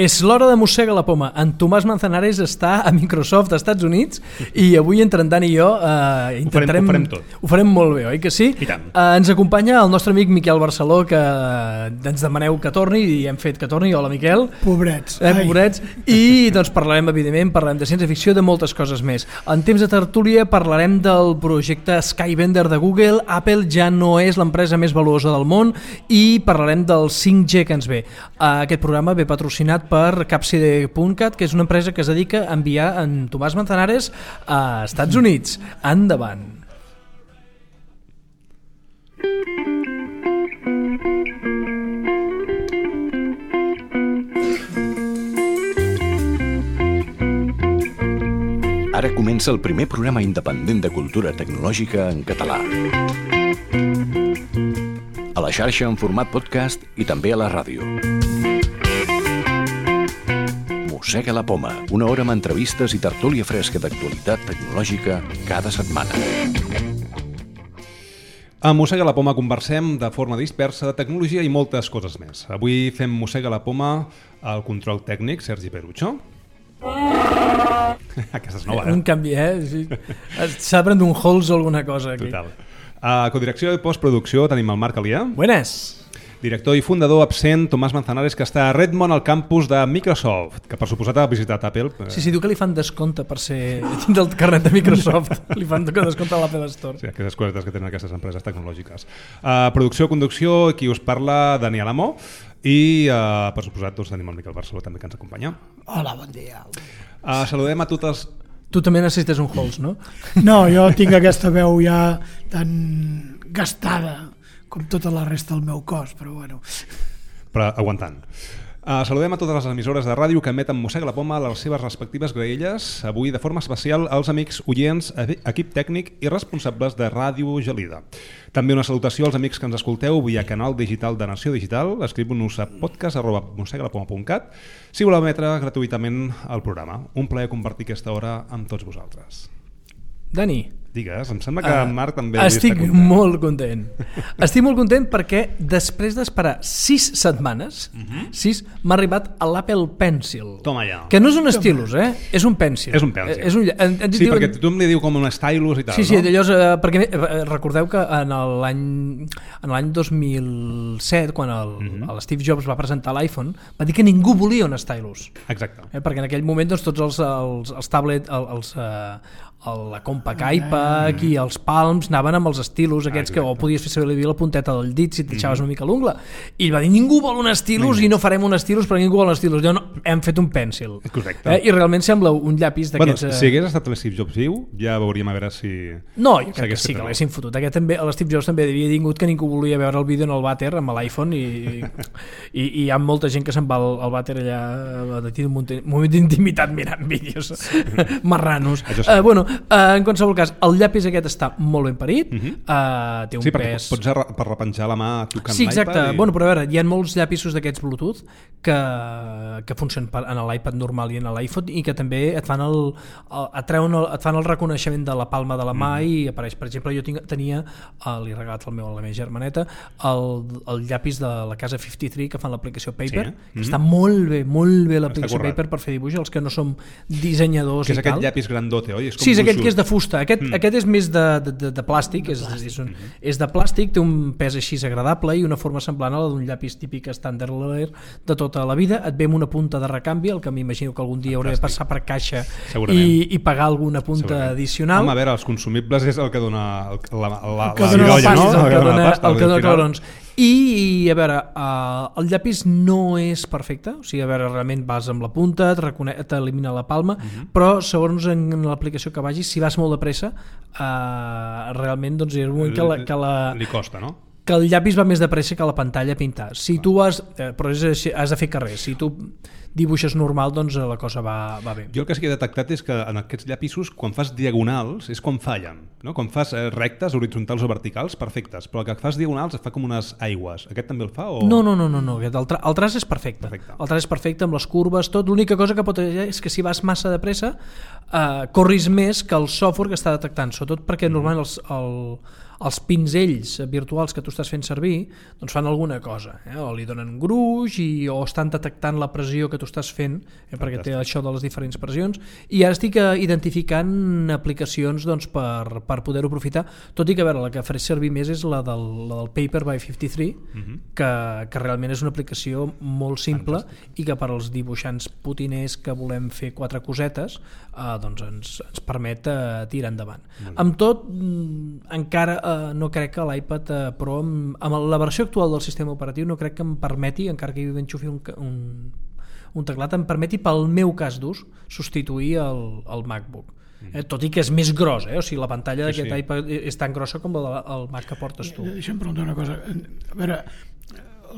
És l'hora de Mossega la Poma. En Tomàs Manzanares està a Microsoft, als Estats Units, i avui entre en Dan i jo intentarem... Ho farem tot. Ho farem molt bé, oi que sí? I tant. Ens acompanya el nostre amic Miquel Barceló, que ens demaneu que torni, i hem fet que torni. Hola, Miquel. Pobrets. Pobrets. I doncs parlarem, evidentment, parlarem de ciència-ficció, de moltes coses més. En temps de tertúlia parlarem del projecte Skybender de Google. Apple ja no és l'empresa més valuosa del món, i parlarem del 5G que ens ve. Aquest programa ve patrocinat per Capside.cat, que és una empresa que es dedica a enviar en Tomàs Manzanares a Estats Units. Endavant. Ara comença el primer programa independent de cultura tecnològica en català. A la xarxa en format podcast i també a la ràdio. Mossega la Poma, una hora amb entrevistes i tertúlia fresca d'actualitat tecnològica cada setmana. A Mossega la Poma conversem de forma dispersa de tecnologia i moltes coses més. Avui fem Mossega la Poma al control tècnic, Sergi Perucho. Aquesta és nova, Un canvi, s'ha de prendre un Halls o alguna cosa aquí. Total. A codirecció i postproducció tenim el Marc Alià. Buenas. Director i fundador absent, Tomàs Manzanares, que està a Redmond, al campus de Microsoft, que per suposat ha visitat Apple. Sí, diu que li fan descompte per ser dins del carnet de Microsoft. Li fan descompte a l'Apple Store. Sí, aquestes cosetes que tenen aquestes empreses tecnològiques. Producció, conducció, qui us parla, Daniel Amó, i per suposat doncs, tenim el Miquel Barceló també que ens acompanya. Hola, bon dia. Saludem a totes... Tu també necessites un Halls, no? No, jo tinc aquesta veu ja tan gastada com tota la resta del meu cos, però bueno. Però aguantant. Saludem a totes les emissores de ràdio que emeten Mossega la Poma a les seves respectives graelles, avui de forma especial als amics oients, equip tècnic i responsables de Ràdio Gelida. També una salutació als amics que ens escolteu via canal digital de Nació Digital. Escriu-nos a podcast@mossegalapoma.cat si voleu emetre gratuïtament el programa. Un plaer compartir aquesta hora amb tots vosaltres. Dani, digues, em sembla que en Marc també estic molt content. Estic molt content perquè després d'esperar 6 setmanes, 6, m'ha arribat a l'Apple Pencil. Toma ja. Que no és un stylus, és un pencil. És un pencil. Sí, perquè tothom li diu com un stylus i tal, sí, no? Sí, llavors, perquè recordeu que en l'any 2007, quan l'Steve Jobs va presentar l'iPhone, va dir que ningú volia un stylus. Exacte. Perquè en aquell moment doncs, tots els tablets, la Compaq iPad i els Palms anaven amb els estilos aquests que o podies fer servir la punteta del dit si t'ixaves una mica l'ungla, i ell va dir ningú vol un estilus i no farem un estilus perquè ningú vol un estilus. No, hem fet un pencil. Correcte. I realment sembla un llapis d'aquests... Bueno, si hagués estat l'Steve Jobs viu, ja veuríem a veure si... No, jo crec que sí que l'haguessin fotut. L'Steve Jobs també havia tingut que ningú volia veure el vídeo en el vàter amb l'iPhone i hi ha molta gent que se'n va al vàter allà de un moment d'intimitat mirant vídeos marranos. Bueno, en qualsevol cas, el llapis aquest està molt ben parit, té un pes... Sí, perquè pots per repenjar la mà tocant l'iPad. Sí, exacte. Bueno, però a veure, hi ha molts llapisos d'aquests Bluetooth que funcionen en l'iPad normal i en l'iPhone i que també et fan el reconeixement de la palma de la mà i apareix. Per exemple, jo tenia, l'he regalat a la meva germaneta, el llapis de la casa 53 que fan l'aplicació Paper, que està molt bé l'aplicació Paper per fer dibuix, els que no som dissenyadors i tal. Que és aquest llapis grandote, oi? Sí, és aquest que és de fusta. Aquest és més de plàstic, és de plàstic, té un pes així agradable i una forma semblant a la d'un llapis típic estàndard de tota la vida. Et ve amb una punta de recanvi, el que m'imagino que algun dia hauré de passar per caixa i pagar alguna punta addicional. Home, a veure, els consumibles és el que dona la virolla, no? El que dona clarons. I a veure, el llapis no és perfecte, o sigui, a veure, realment vas amb la punta, t'elimina la palma, però segons en l'aplicació que vagis, si vas molt de pressa, realment doncs és un moment que li costa, no? Que el llapis va més de pressa que la pantalla a pintar. Si tu però has de fer carrer, si tu dibuixes normal, doncs la cosa va bé. Jo el que sí que he detectat és que en aquests llapisos, quan fas diagonals, és quan fallen, no? Quan fas rectes, horitzontals o verticals, perfectes, però el que fas diagonals fa com unes aigües. Aquest també el fa? O... No. El traç és perfecte. El traç és perfecte amb les curves, tot. L'única cosa que pot haver és que si vas massa de pressa corris més que el software que està detectant, sobretot perquè normalment els pinzells virtuals que tu estàs fent servir doncs fan alguna cosa, o li donen gruix o estan detectant la pressió que tu estàs fent, perquè té això de les diferents pressions, i ara estic identificant aplicacions doncs, per poder-ho aprofitar, tot i que a veure, la que faré servir més és la del Paper by 53, que realment és una aplicació molt simple i que per als dibuixants putiners que volem fer 4 cosetes doncs ens permet tirar endavant. Amb tot, encara no crec que l'iPad Pro amb la versió actual del sistema operatiu no crec que em permeti, encara que hi enxufi un teclat, em permeti pel meu cas d'ús substituir el MacBook. Tot i que és més gros, o sigui, la pantalla d'aquest iPad és tan grossa com el Mac que portes tu. Deixa'm preguntar una cosa. A veure,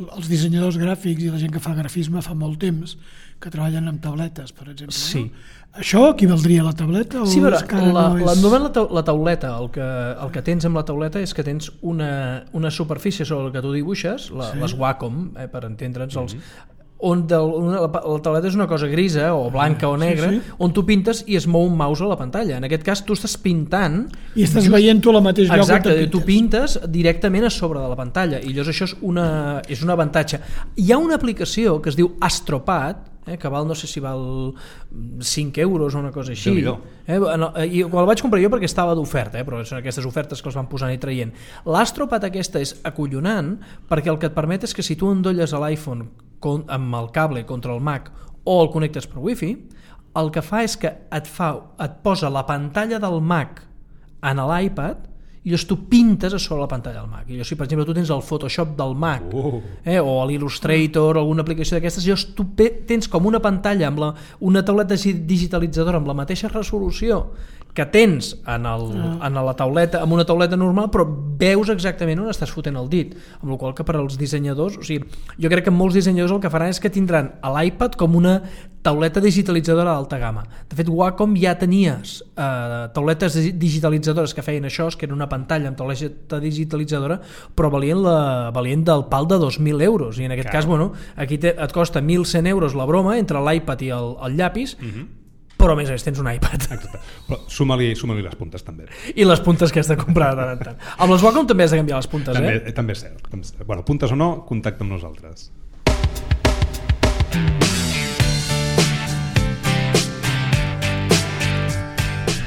els dissenyadors gràfics i la gent que fa grafisme fa molt temps que treballen amb tabletes, per exemple. Sí. No? Això equivaldria a la tableta? Sí, però la tauleta, el que tens amb la tauleta és que tens una superfície sobre la que tu dibuixes, les Wacom, per entendre'ns, on la tauleta és una cosa grisa o blanca o negra, on tu pintes i es mou un mouse a la pantalla. En aquest cas tu estàs pintant i estàs veient tu al mateix lloc. Exacte, tu pintes directament a sobre de la pantalla i llavors això és un avantatge. Hi ha una aplicació que es diu Astropad, que val, no sé si val 5 euros o una cosa així, i el vaig comprar jo perquè estava d'oferta, però són aquestes ofertes que els van posant i traient. L'Astropad aquesta és acollonant perquè el que et permet és que si tu endolles a l'iPhone amb el cable contra el Mac o el connectes per Wi-Fi, el que fa és que et posa la pantalla del Mac en l'iPad i llavors tu pintes a sobre la pantalla del Mac. I llavors, si per exemple tu tens el Photoshop del Mac o l'Illustrator o alguna aplicació d'aquestes, llavors tu tens com una pantalla amb una tauleta digitalitzadora amb la mateixa resolució que tens en la tauleta, amb una tauleta normal, però veus exactament on estàs fotent el dit, amb la qual cosa que per als dissenyadors, o sigui, jo crec que molts dissenyadors el que faran és que tindran a l'iPad com una tauleta digitalitzadora d'alta gamma. De fet, Wacom ja tenies tauletes digitalitzadores que feien això, que era una pantalla amb tauleta digitalitzadora, però valien del pal de 2.000 euros, i en aquest cas, aquí et costa 1.100 euros la broma entre l'iPad i el llapis, però a més tens un iPad. Exacte. Però suma-li les puntes també. I les puntes que has de comprar de tant en tant. Amb les Wacom també has de canviar les puntes, també és cert. Bueno, puntes o no, contacta amb nosaltres.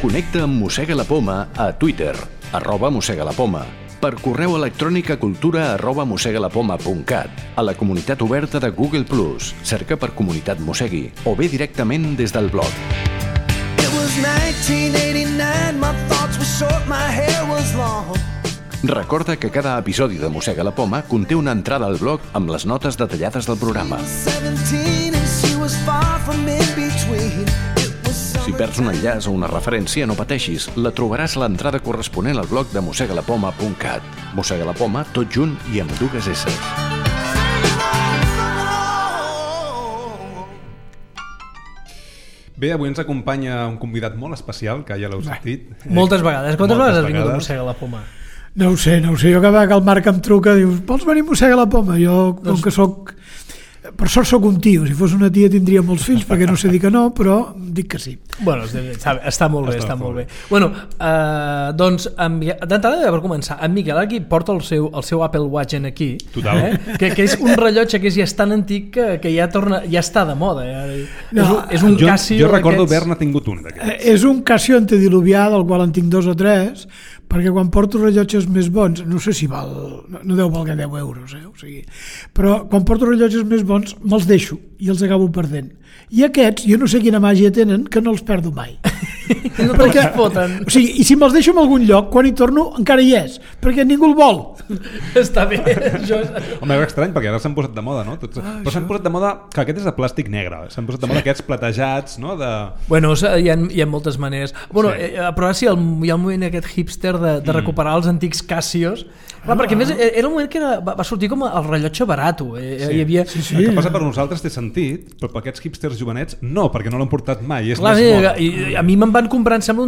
Connecta amb Mossega la Poma a Twitter, @mossegalapoma, per correu electrònic a cultura@mossegalapoma.cat, a la comunitat oberta de Google+, cerca per Comunitat Mossegui, o bé directament des del blog. Recorda que cada episodi de Mossega la Poma conté una entrada al blog amb les notes detallades del programa. Si perds un enllaç o una referència, no pateixis, la trobaràs a l'entrada corresponent al blog de mossegalapoma.cat. Mossega la Poma, tot junt i amb 2 S. Bé, avui ens acompanya un convidat molt especial, que ja l'heu sentit. Moltes vegades. Quantes vegades has vingut a Mossega la Poma? No ho sé. Jo cada vegada que el Marc em truca dius, vols venir a Mossega la Poma? Jo, com que soc... Per sort soc un tio, si fos una tia tindria molts fills, perquè no sé dir que no, però dic que sí. Bueno, està molt bé, està molt bé. Bueno, doncs, d'entrada, per començar, en Miquel aquí porta el seu Apple Watch en aquí. Total. Que és un rellotge que ja és tan antic que ja està de moda. És un Casio... Jo recordo haver-ne tingut un d'aquests. És un Casio antediluvià, del qual en tinc 2 o 3, perquè quan porto rellotges més bons, no sé si val, no deu valgar 10 euros, o sigui, però quan porto rellotges més bons me'ls deixo i els acabo perdent. I aquests, jo no sé quina màgia tenen, que no els perdo mai. No te'ls foten. O sigui, i si me'ls deixo en algun lloc, quan hi torno encara hi és, perquè ningú el vol. Està bé. Home, és estrany, perquè ara s'han posat de moda, no? Però s'han posat de moda, que aquest és de plàstic negre, s'han posat de moda aquests platejats, no? Bueno, hi ha moltes maneres. Bueno, però ara sí, hi ha un moment aquest hipster de recuperar els antics Casios. Clar, perquè a més era un moment que va sortir com el rellotge barat. Hi havia... El que passa per nosaltres té sentit, però per aquests hipsters jovenets no, perquè no l'han portat mai. És clar, més moda. I a mi me'n van comprar, em sembla,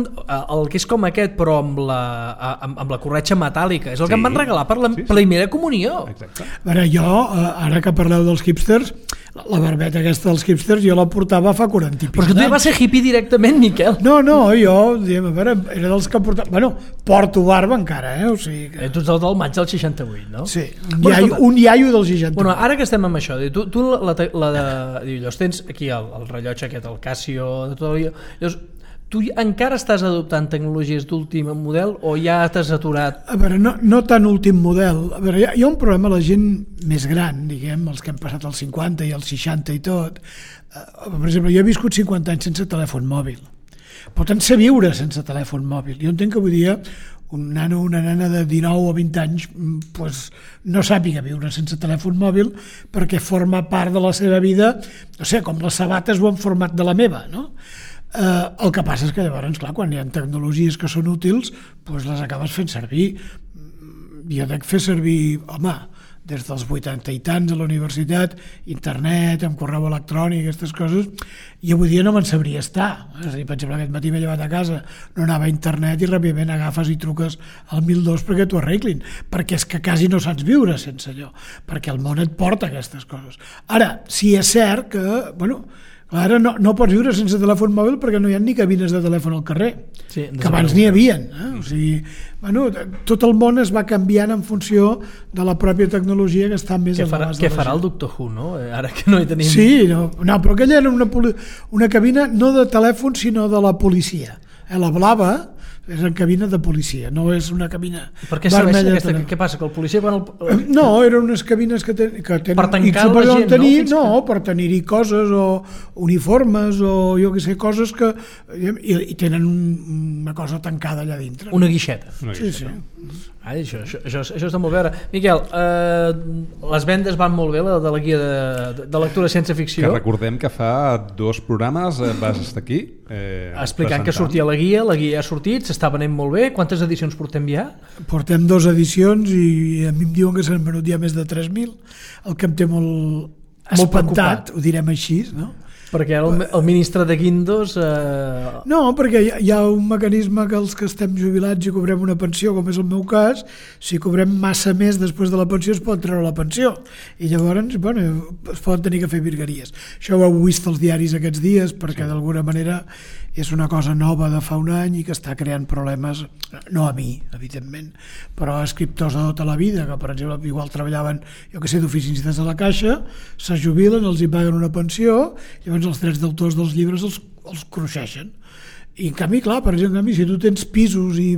el que és com aquest, però amb la corretxa metàl·lica. És el que em van regalar per la primera comunió. Exacte. A veure, jo, ara que parleu dels hipsters, la barbeta aquesta dels hipsters jo la portava fa 40 i Però és que tu ja vas ser hippie directament, Miquel. No, jo, diguem, a veure, era dels que portava... Bueno, porto barba encara, o sigui que... Tu ets el del maig del 68, no? Sí, un iaio del 68. Bueno, ara que estem amb això, tu llavors tens aquí el rellotge aquest, el Casio, de tot allò, llavors, tu encara estàs adoptant tecnologies d'últim model o ja t'has aturat? A veure, no tan últim model. A veure, hi ha un problema, la gent més gran, diguem, els que han passat els 50 i els 60 i tot. Per exemple, jo he viscut 50 anys sense telèfon mòbil. Per tant, sé viure sense telèfon mòbil. Jo entenc que avui dia un nano o una nena de 19 o 20 anys pues, no sàpiga viure sense telèfon mòbil perquè forma part de la seva vida, no sé, com les sabates ho han format de la meva, no? El que passa és que llavors, clar, quan hi ha tecnologies que són útils, doncs les acabes fent servir. Jo dec fer servir, home, des dels 80 i tants a la universitat, internet, amb correu electrònic, aquestes coses, i avui dia no me'n sabria estar. És a dir, per exemple, aquest matí m'he llevat a casa, no anava a internet i ràpidament agafes i truques al 112 perquè t'ho arreglin, perquè és que quasi no saps viure sense allò, perquè el món et porta aquestes coses. Ara, sí és cert que, bueno, ara no pots viure sense telèfon mòbil perquè no hi ha ni cabines de telèfon al carrer, sí, que abans n'hi havien. O sigui, bueno, tot el món es va canviant en funció de la pròpia tecnologia que està més a l'abast de la gent. Què farà el Doctor Who, no? Ara que no hi tenim... Sí, no, però aquella era una cabina no de telèfon sinó de la policia. La blava és una cabina de policia, no és una cabina per què serveix aquesta? Què passa? Que el policia quan No, eren unes cabines que tenen per tancar la gent, no? Per tenir-hi coses o uniformes o jo què sé, coses que i tenen una cosa tancada allà dintre. Una guixeta. Sí. Això està molt bé. Miquel, les vendes van molt bé, la de la guia de lectura sense ficció. Que recordem que fa 2 programes vas estar aquí explicant que sortia la guia ja ha sortit, s'està venent molt bé. Quantes edicions portem ja? Portem 2 edicions i a mi em diuen que s'han venut ja més de 3.000, el que em té molt espantat, ho direm així, no? Perquè el ministre de Guindos... No, perquè hi ha un mecanisme que els que estem jubilats i cobrem una pensió, com és el meu cas, si cobrem massa més després de la pensió es pot treure la pensió. I llavors, bueno, es poden tenir que fer virgueries. Això ho heu vist als diaris aquests dies, perquè d'alguna manera és una cosa nova de fa un any i que està creant problemes, no a mi, evidentment, però a escriptors de tota la vida, que per exemple igual treballaven, jo que sé, d'oficinistes a la Caixa, se jubilen, els hi paguen una pensió, llavors els drets d'autors dels llibres els cruixeixen. I en canvi, clar, per exemple, si tu tens pisos i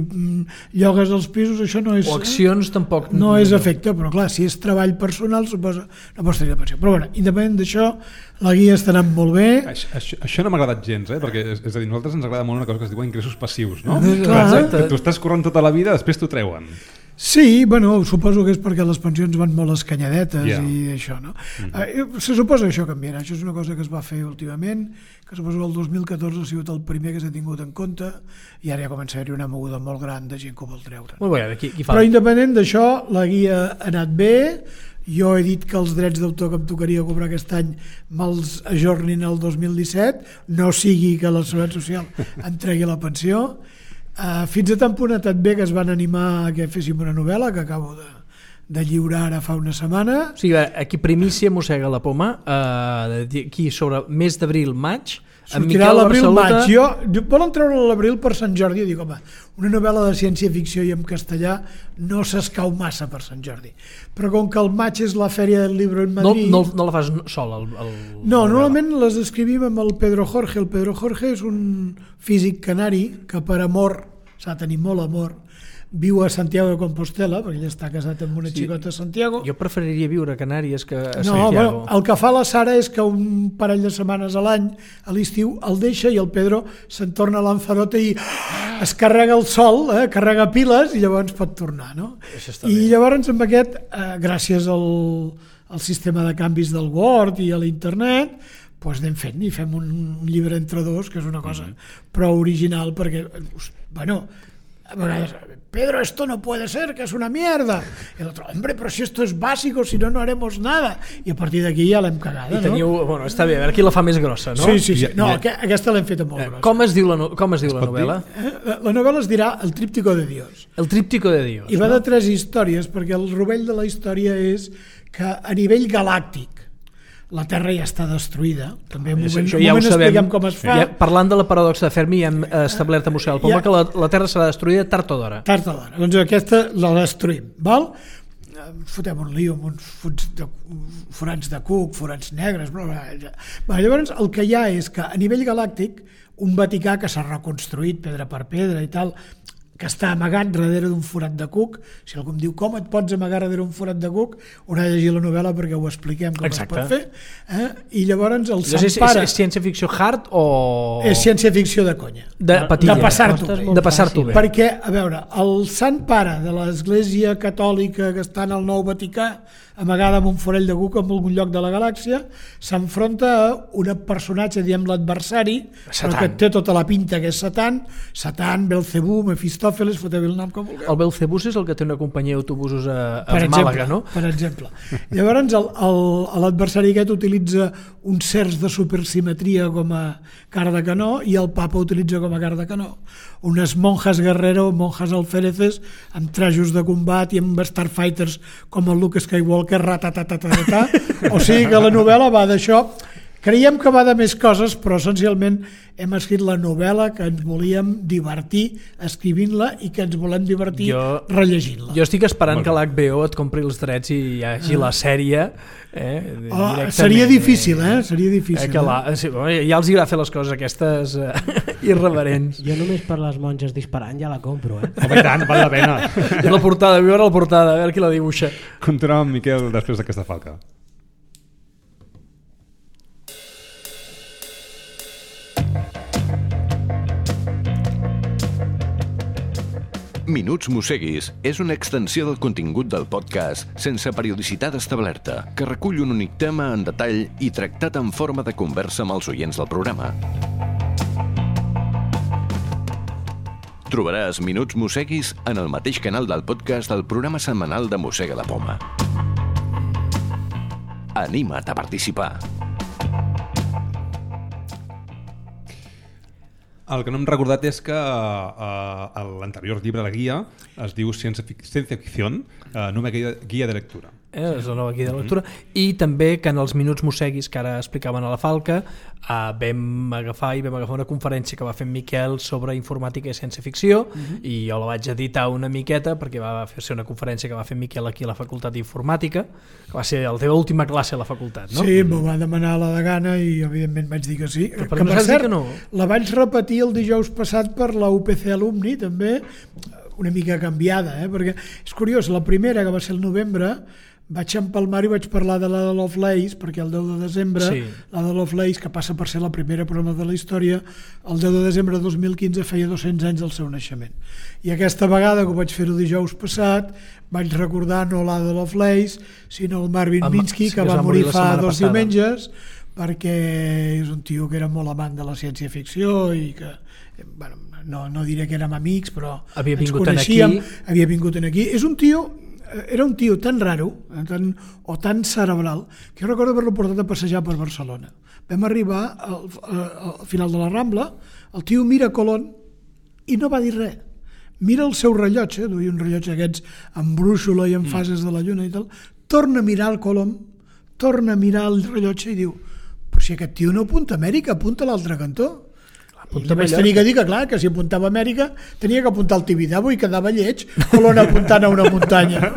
llogues els pisos, això no és... O accions tampoc... No és efecte, però clar, si és treball personal, suposa, no pots tenir la pensió. Però bueno, independent d'això, la guia està anant molt bé. Això no m'ha agradat gens, perquè és a dir, a nosaltres ens agrada molt una cosa que es diuen ingressos passius, no? Clar. Tu estàs corrent tota la vida, després t'ho treuen. Sí, bueno, suposo que és perquè les pensions van molt escanyadetes i això, no? Se suposa que això canviarà, això és una cosa que es va fer últimament, que suposo que el 2014 ha sigut el primer que s'ha tingut en compte i ara ja comença a haver una moguda molt gran de gent que ho vol treure. Molt bé, qui fa? Però independent d'això, la guia ha anat bé, jo he dit que els drets d'autor que em tocaria cobrar aquest any me'ls ajornin el 2017, no sigui que la Seguretat Social em tregui la pensió. Fins a tant punt ha estat bé que es van animar a que féssim una novel·la que acabo de lliurar ara fa una setmana. O sigui, aquí primícia mossega la poma, aquí sobre mes d'abril, maig, sortirà a l'abril, maig. Volen treure l'abril per Sant Jordi i dic, home, una novel·la de ciència-ficció i en castellà no s'escau massa per Sant Jordi, però com que el maig és la fèria del llibre en Madrid... No la fas sol? No, normalment les escrivim amb el Pedro Jorge. El Pedro Jorge és un físic canari que per amor, s'ha de tenir molt amor, viu a Santiago de Compostela, perquè ell està casat amb una xicota a Santiago. Jo preferiria viure a Canàries que a Santiago. Bueno, el que fa la Sara és que un parell de setmanes a l'any, a l'estiu, el deixa i el Pedro se'n torna a Lanzarote i es carrega el sol, carrega piles i llavors pot tornar, no? I llavors amb aquest, gràcies al sistema de canvis del Word i a l'internet, doncs anem fent i fem un llibre entre dos, que és una cosa prou original, perquè, bueno, a vegades, Pedro, esto no puede ser, que es una mierda. Y el otro, hombre, pero si esto es básico, si no, no haremos nada. I a partir d'aquí ja l'hem cagada, no? Bueno, està bé, a veure qui la fa més grossa, no? Sí. No, aquesta l'hem feta molt grossa. Com es diu la novel·la? La novel·la es dirà El Tríptico de Dios. El Tríptico de Dios. I va de 3 històries, perquè el rovell de la història és que a nivell galàctic la Terra ja està destruïda. També en un Això moment ja ho sabem. expliquem com es fa. Parlant de la paradoxa de Fermi, hem establert a Mossègue la Poma que la Terra serà destruïda tard o d'hora. Tard o d'hora. Doncs aquesta la destruïm, val? Fotem un lío amb uns forats de cuc, forats negres... Llavors, el que hi ha és que a nivell galàctic, un Vaticà que s'ha reconstruït pedra per pedra i tal, que està amagat darrere d'un forat de cuc. Si algú em diu com et pots amagar darrere un forat de cuc, haurà de llegir la novel·la perquè ho expliquem com es pot fer. I llavors el Sant Pare... És ciència-ficció hard o... És ciència-ficció de conya. De passar-t'ho bé. De passar-t'ho bé. Perquè, a veure, el Sant Pare de l'Església Catòlica que està en el Nou Vaticà, amagada amb un forell de cuc en algun lloc de la galàxia, s'enfronta a un personatge, diem l'adversari, però que té tota la pinta que és Satan, Belcebú, Mefistòfeles, foteu el nom com vulgueu. El Belcebús és el que té una companyia d'autobusos a Màlaga, no? Per exemple. Llavors l'adversari aquest utilitza uns certs de supersimetria com a cara de canó i el papa utilitza com a cara de canó unes monjas guerrero, monjas alféreces amb trajos de combat i amb starfighters com el Luke Skywalker, ratatatata. O sigui que la novel·la va d'això. Creiem que va de més coses, però essencialment hem escrit la novel·la que ens volíem divertir escrivint-la i que ens volem divertir rellegint-la. Jo estic esperant que l'HBO et compri els drets i hi hagi la sèrie. Seria difícil, Seria difícil. Ja els agrada fer les coses aquestes irreverents. Jo només per les monges disparant ja la compro, Home, i tant, val la pena. I la portada, vull veure la portada, a veure qui la dibuixa. Continuem amb Miquel després d'aquesta falca. Minuts Mosseguis és una extensió del contingut del podcast sense periodicitat establerta, que recull un únic tema en detall i tractat en forma de conversa amb els oients del programa. Trobaràs Minuts Mosseguis en el mateix canal del podcast del programa setmanal de Mossega la Poma. Anima't a participar. El que no hem recordat és que l'anterior llibre de la guia es diu Ciència Ficció, nova guia de lectura. És la nova guia de lectura. I també que en els Minuts Mosseguis que ara explicaven a la Falca vam agafar una conferència que va fer en Miquel sobre informàtica i ciència-ficció i jo la vaig editar una miqueta perquè va ser una conferència que va fer en Miquel aquí a la Facultat d'Informàtica, que va ser la teva última classe a la facultat, no? Sí, m'ho va demanar la degana i evidentment vaig dir que sí. Però per cert, que no? La vaig repetir el dijous passat per la UPC Alumni, també, una mica canviada, perquè és curiós, la primera, que va ser el novembre, vaig empalmar i vaig parlar de la de Lovelace, perquè el 10 de desembre, la de Lovelace, que passa per ser la primera programa de la història, el 10 de desembre de 2015 feia 200 anys del seu naixement. I aquesta vegada, que ho vaig fer-ho dijous passat, vaig recordar no la de Lovelace, sinó el Marvin Minsky, que va morir fa 2 diumenges, perquè és un tio que era molt amant de la ciència-ficció i que, no diré que érem amics, però ens coneixíem, havia vingut aquí. Era un tio tan raro o tan cerebral que jo recordo haver-lo portat a passejar per Barcelona. Vam arribar al final de la Rambla, el tio mira Colón i no va dir res. Mira el seu rellotge, duia un rellotge aquests amb brúixola i amb fases de la lluna i tal, torna a mirar el Colón, torna a mirar el rellotge i diu: però si aquest tio no apunta a Amèrica, apunta a l'altre cantó. I vaig tenir que dir que, clar, que si apuntava a Amèrica tenia que apuntar al Tibidabo i quedava lleig Colón apuntant a una muntanya.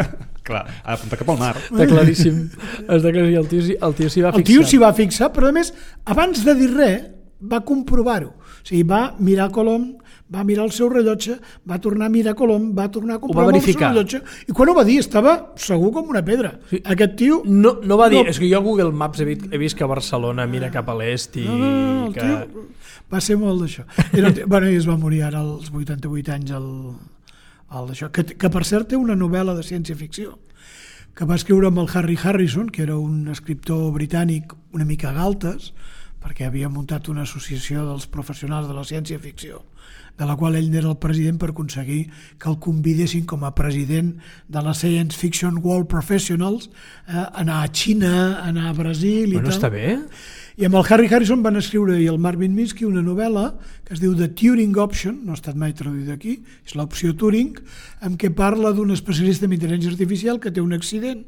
Clar, ha d'apuntar cap al mar. Està claríssim. El tio s'hi va fixar. El tio s'hi va fixar, però a més, abans de dir res, va comprovar-ho. O sigui, va mirar Colón, va mirar el seu rellotge, va tornar a mirar Colón, va tornar a comprovar el seu rellotge, i quan ho va dir estava segur com una pedra. Sí. Aquest tio... No va dir, és que jo a Google Maps he vist que Barcelona mira cap a l'est i... No, el tio va ser molt d'això. I es va morir ara als 88 anys d'això, que per cert té una novel·la de ciència-ficció que va escriure amb el Harry Harrison, que era un escriptor britànic una mica galtes, perquè havia muntat una associació dels professionals de la ciència-ficció, de la qual ell era el president per aconseguir que el convidessin com a president de la Science Fiction World Professionals, anar a Xina, anar a Brasil i tal. Està bé. I amb el Harry Harrison van escriure i el Marvin Minsky una novel·la que es diu The Turing Option, no ha estat mai traduïda aquí, és l'opció Turing, en què parla d'un especialista en intel·ligència artificial que té un accident,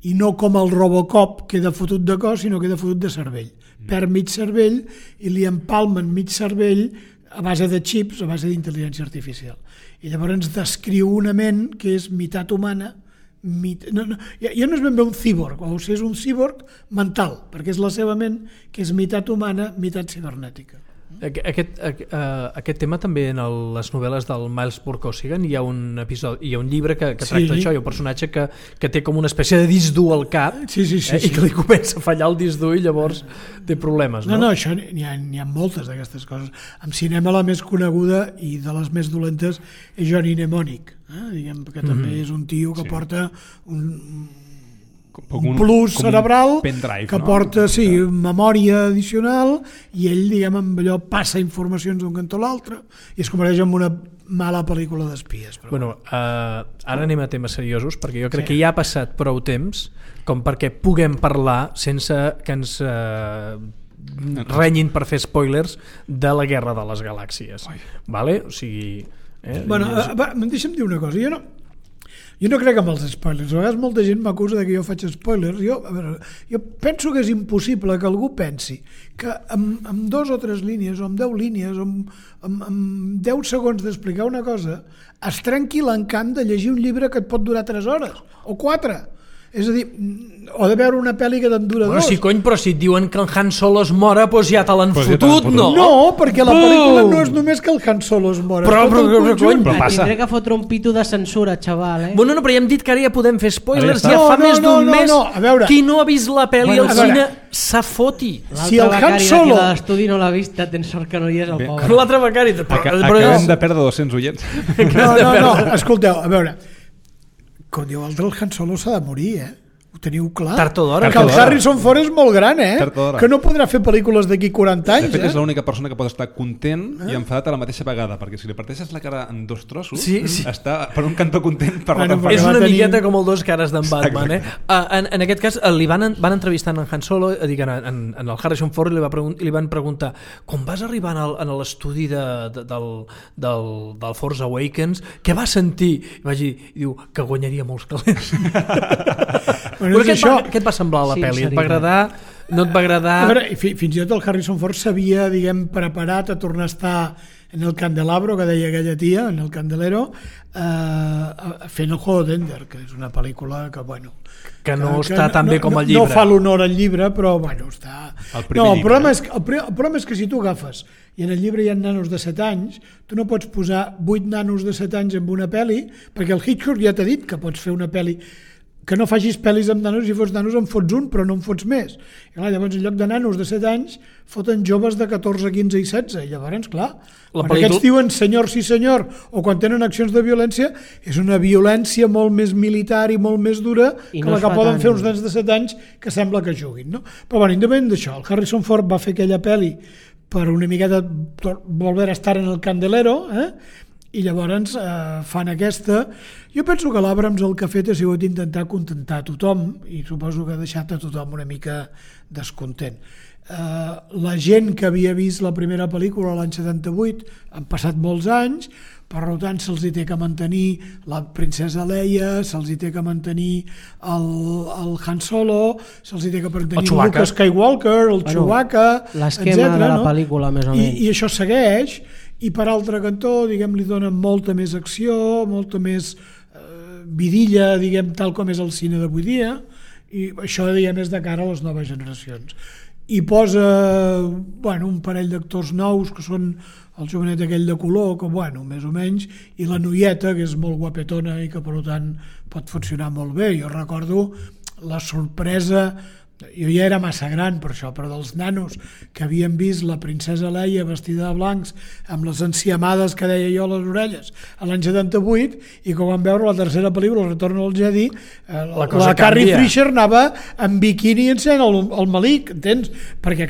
i no com el Robocop, queda fotut de cos, sinó queda fotut de cervell. Perd mig cervell i li empalmen mig cervell a base de xips, a base d'intel·ligència artificial. I llavors ens descriu una ment que és meitat humana, ja no és ben bé un cíborg, o sigui, és un cíborg mental, perquè és la seva ment que és meitat humana, meitat cibernètica. Aquest tema també en les novel·les del Miles Burkosigan hi ha un episodi, hi ha un llibre que tracta això, hi ha un personatge que té com una espècie de disc dur al cap i que li comença a fallar el disc dur i llavors té problemes. No, això n'hi ha moltes d'aquestes coses. En cinema la més coneguda i de les més dolentes és Johnny Mnemonic, diguem que també és un tio que porta un plus cerebral pendrive, que porta memòria addicional i ell, diguem, amb allò passa informacions d'un cantó a l'altre i es converteix en una mala pel·lícula d'espies. Bueno, ara anem a temes seriosos perquè jo crec que ja ha passat prou temps com perquè puguem parlar sense que ens renyin per fer spoilers de la Guerra de les Galàxies. Vale? O sigui... deixa'm dir una cosa, jo no crec en els spoilers. A vegades molta gent m'acusa que jo faig spoilers. Jo penso que és impossible que algú pensi que amb 2 o 3 línies, o amb 10 línies, o amb 10 segons d'explicar una cosa, es trenqui l'encant de llegir un llibre que et pot durar 3 hores, o 4. És a dir, o de veure una pel·li que te'n dura 2. Però si et diuen que el Han Solo es mora, doncs ja te l'han fotut, no? No, perquè la pel·lícula no és només que el Han Solo es mora. Però passa. Tindré que fotre un pito de censura, xaval, Bueno, però ja hem dit que ara ja podem fer spoilers, ja fa més d'un mes. Qui no ha vist la pel·li al cine s'afoti. Si el Han Solo... de l'estudi no l'ha vist, tens sort que no hi és el pobre. L'altre becari... Acabem de perdre 200 oients. No, escolteu, a veure... Com diu el Han Solo s'ha de morir, Ho teniu clar? Tard o d'hora. Que el Harrison Ford és molt gran, Que no podrà fer pel·lícules d'aquí 40 anys. De fet, és l'única persona que pot estar content i enfadat a la mateixa vegada, perquè si li parteixes la cara en 2 trossos, està per un cantó content per l'altre. És una miqueta com el 2 cares d'en Batman. En aquest cas, li van entrevistar en Han Solo, en el Harrison Ford, i li van preguntar: quan vas arribar a l'estudi del Force Awakens, què vas sentir? I vaig dir, diu, que guanyaria molts calés. Què et va semblar la pel·li? Et va agradar? No et va agradar? A veure, fins i tot el Harrison Ford s'havia, preparat a tornar a estar en el candelabro, que deia aquella tia, en el candelero, fent el Juego d'Ender, que és una pel·lícula que, que no està tan bé com el llibre. No fa l'honor al llibre, però, està... El problema és que si tu agafes, i en el llibre hi ha nanos de 7 anys, tu no pots posar 8 nanos de 7 anys en una pel·li, perquè el Hitchcock ja t'ha dit que pots fer una pel·li que no facis pel·lis amb nanos, si fots nanos en fots un, però no en fots més. I clar, llavors, en lloc de nanos de 7 anys, foten joves de 14, 15 i 16. I llavors, clar, quan aquests diuen senyor, sí senyor, o quan tenen accions de violència, és una violència molt més militar i molt més dura que la que poden fer uns nens de 7 anys que sembla que juguin. No? Però, independent d'això, el Harrison Ford va fer aquella pel·li per una miqueta volver a estar en el candelero, i llavors fan aquesta. Jo penso que l'Abrams el que ha fet ha sigut intentar contentar a tothom i suposo que ha deixat a tothom una mica descontent. La gent que havia vist la primera pel·lícula l'any 78 han passat molts anys, per tant se'ls té que mantenir la princesa Leia, se'ls té que mantenir el Han Solo, se'ls té que mantenir el Luke Skywalker, el Chewbacca, l'esquema de la pel·lícula més o menys. I això segueix. I per altre cantó, li donen molta més acció, molta més vidilla, tal com és el cine d'avui dia, i això, és de cara a les noves generacions. I posa, un parell d'actors nous, que són el jovenet aquell de color, que, més o menys, i la noieta, que és molt guapetona i que, per tant, pot funcionar molt bé. Jo recordo la sorpresa... Jo ja era massa gran per això, però dels nanos que havien vist la princesa Leia vestida de blancs amb les enciamades que deia jo a les orelles a l'any 78, i quan van veure la tercera pel·lícula, El retorn del Jedi, la Carrie Fisher anava en biquini ensenyant el malic, entens? Perquè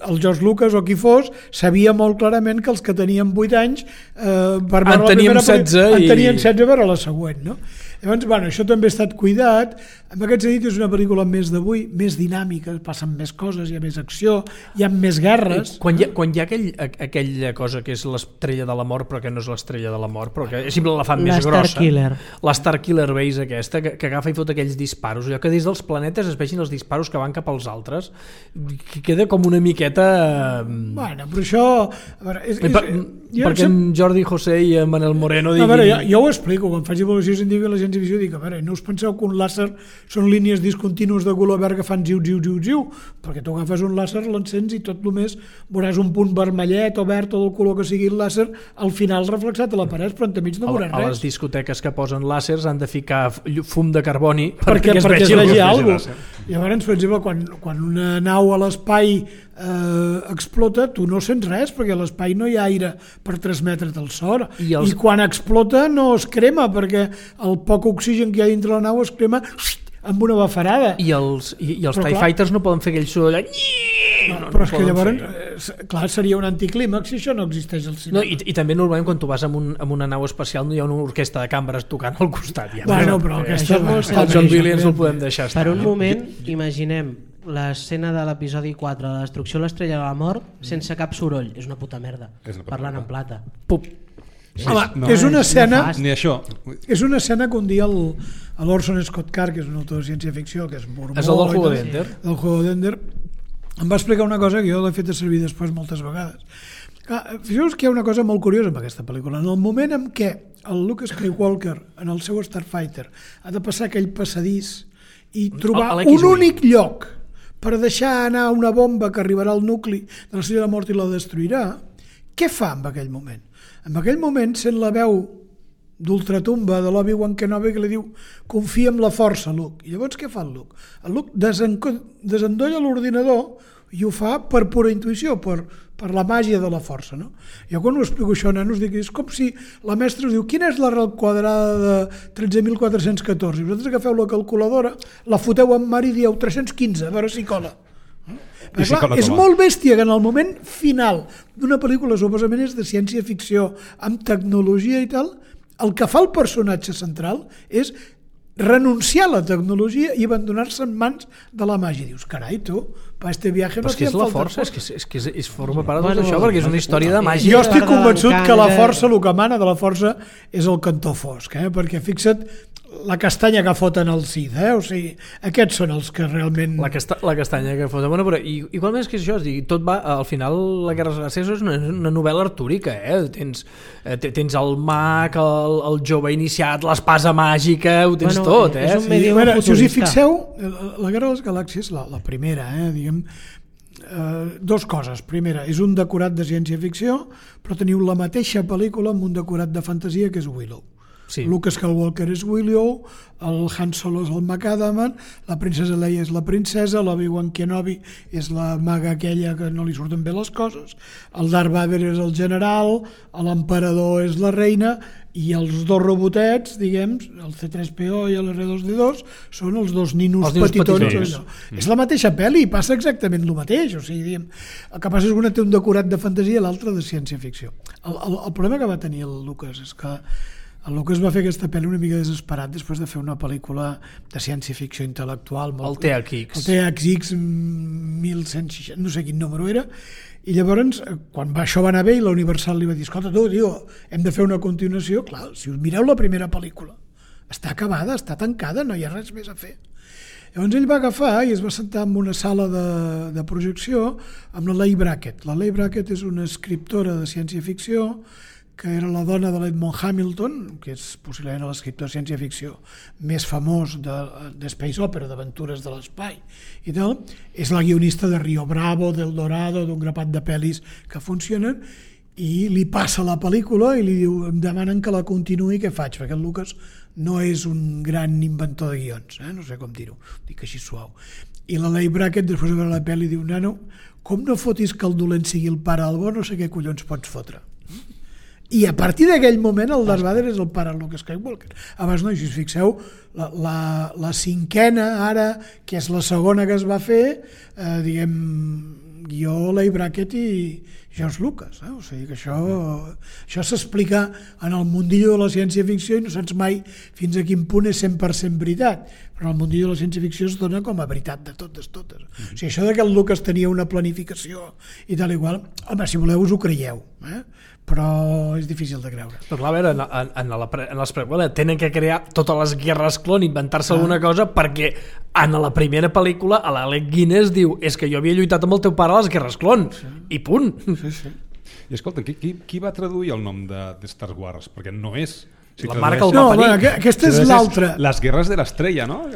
el George Lucas o qui fos sabia molt clarament que els que tenien 8 anys per veure la primera 16 en tenien 16 a veure la següent, no? Llavors, bueno, això també ha estat cuidat. En aquest sentit, és una pel·lícula més d'avui, més dinàmica, passen més coses, hi ha més acció, hi ha més guerres. Quan hi ha aquella cosa que és l'estrella de la mort, però que no és l'estrella de la mort, però que sempre la fan més grossa. La Star Killer Base aquesta, que agafa i fot aquells disparos, allò que des dels planetes es vegin els disparos que van cap als altres, que queda com una miqueta... Bueno, però això... Perquè en Jordi José i en Manel Moreno diguin... A veure, jo ho explico, quan faig evolució científica la ciència ficció dic, a veure, no us penseu que un làser són línies discontínues de color verd que fan ziu, perquè tu agafes un làser, l'encens i tot només veuràs un punt vermellet o verd o del color que sigui el làser al final reflexat a la paret, però entremig no veuràs res. A les discoteques que posen làsers han de ficar fum de carboni perquè es vegi alguna cosa. Llavors, per exemple, quan una nau a l'espai explota, tu no sents res perquè a l'espai no hi ha aire per transmetre't el so i quan explota no es crema perquè el poc oxigen que hi ha dintre la nau es crema amb una bafarada. I els TIE Fighters no poden fer aquell soroll però és que llavors clar, seria un anticlímax si això no existeix al cinema. I també normalment quan tu vas amb una nau espacial no hi ha una orquestra de cambres tocant al costat bueno, però aquesta el John Williams el podem deixar estar. Per un moment imaginem l'escena de l'episodi 4 de la destrucció de l'estrella de la mort sense cap soroll, és una puta merda parlant en plata. Pup. És una escena ni això. És una escena que un dia l'Orson Scott Card, que és un autor de ciència-ficció, que és mormó, és el del Juego d'Ender, del Juego d'Ender, em va explicar una cosa que jo l'he fet servir després moltes vegades. Fixeu-vos que hi ha una cosa molt curiosa amb aquesta pel·lícula. En el moment en què el Luke Skywalker en el seu Starfighter ha de passar aquell passadís i trobar un únic lloc per deixar anar una bomba que arribarà al nucli de l'estrella de la mort i la destruirà, què fa en aquell moment? En aquell moment sent la veu d'ultratumba de l'Obi-Wan Kenobi que li diu confia en la força, Luke. I llavors què fa el Luke? El Luke desendolla l'ordinador i ho fa per pura intuïció, per la màgia de la força, no? Jo quan ho explico això, nanos, dic, és com si la mestra us diu quina és l'arrel quadrada de 13.414 i vosaltres agafeu la calculadora, la foteu en mar i dieu 315, a veure si cola. Però clar, és molt bèstia que en el moment final d'una pel·lícula suposament és de ciència-ficció amb tecnologia i tal, el que fa el personatge central és renunciar a la tecnologia i abandonar-se en mans de la màgia. Dius, carai, tu, per este viatge no hacía falta força. És que forma part de tot això, perquè és una història de màgia. Jo estic convençut que la força, el que mana de la força és el cantó fosc, perquè fixa't la castanya que foten al Cid, o sigui, aquests són els que realment... La castanya que foten, bueno, però igualment és que això, tot va, al final la Guerra de les Gràcies és una novel·la artúrica, tens el mag, el jove iniciat, l'espasa màgica, ho tens tot, és un medieval futurista. Si us hi fixeu, la Guerra de les Galàxies, la primera, diguem, dos coses. Primera, és un decorat de ciència-ficció, però teniu la mateixa pel·lícula amb un decorat de fantasia que és Willow. Sí. Luke Skywalker és Willow, el Han Solo és el McAdaman, la princesa Leia és la princesa, l'Obi-Wan Kenobi és la maga aquella que no li surten bé les coses, el Darth Vader és el general, l'emperador és la reina i els dos robotets, diguem, el C3PO i l'R2D2 són els dos ninos petitons. És la mateixa pel·li, passa exactament el mateix, o sigui, diguem, el que passa és que una té un decorat de fantasia i l'altra de ciència-ficció. El problema que va tenir el Lucas és que el Lucas va fer aquesta pel·li una mica desesperat després de fer una pel·lícula de ciència-ficció intel·lectual. El THX. El THX 1160, no sé quin número era, i llavors, quan això va anar bé i la Universal li va dir, escolta tu, tio, hem de fer una continuació, clar, si us mireu la primera pel·lícula, està acabada, està tancada, no hi ha res més a fer. Llavors ell va agafar i es va sentar en una sala de projecció amb la Leigh Brackett. La Leigh Brackett és una escriptora de ciència-ficció que era la dona de l'Edmond Hamilton, que és possiblement l'escriptor de ciència-ficció més famós de Space Opera, d'aventures de l'espai i tal, és la guionista de Rio Bravo, del Dorado, d'un grapat de pel·lis que funcionen, i li passa la pel·lícula i li diu, em demanen que la continuï, què faig? Perquè el Lucas no és un gran inventor de guions, no sé com dir-ho, dic així suau. I la Leigh Brackett, després de veure la pel·li, diu, nano, com no fotis que el dolent sigui el pare del bo, no sé què collons pots fotre. I a partir d'aquell moment el Darth Vader és el pare de Luke Skywalker. Abans no, si us fixeu, la cinquena ara, que és la segona que es va fer, diguem, guió Leigh Brackett i George Lucas, o sigui que això s'explica en el mundillo de la ciència-ficció i no saps mai fins a quin punt és 100% veritat, però en el mundillo de la ciència-ficció es dona com a veritat de totes. O sigui, això que el Lucas tenia una planificació i tal igual, home, si voleu us ho creieu, però és difícil de creure. Però clar, a veure, en les preqüeles tenen que crear totes les guerres clon, inventar-se alguna cosa, perquè en la primera pel·lícula l'Alec Guinness diu és que jo havia lluitat amb el teu pare a les guerres clon, i punt. Sí. I escolta, qui va traduir el nom de Star Wars? Perquè no és... La marca el va parir. Aquesta és l'altra. Les guerres de l'estrella, no?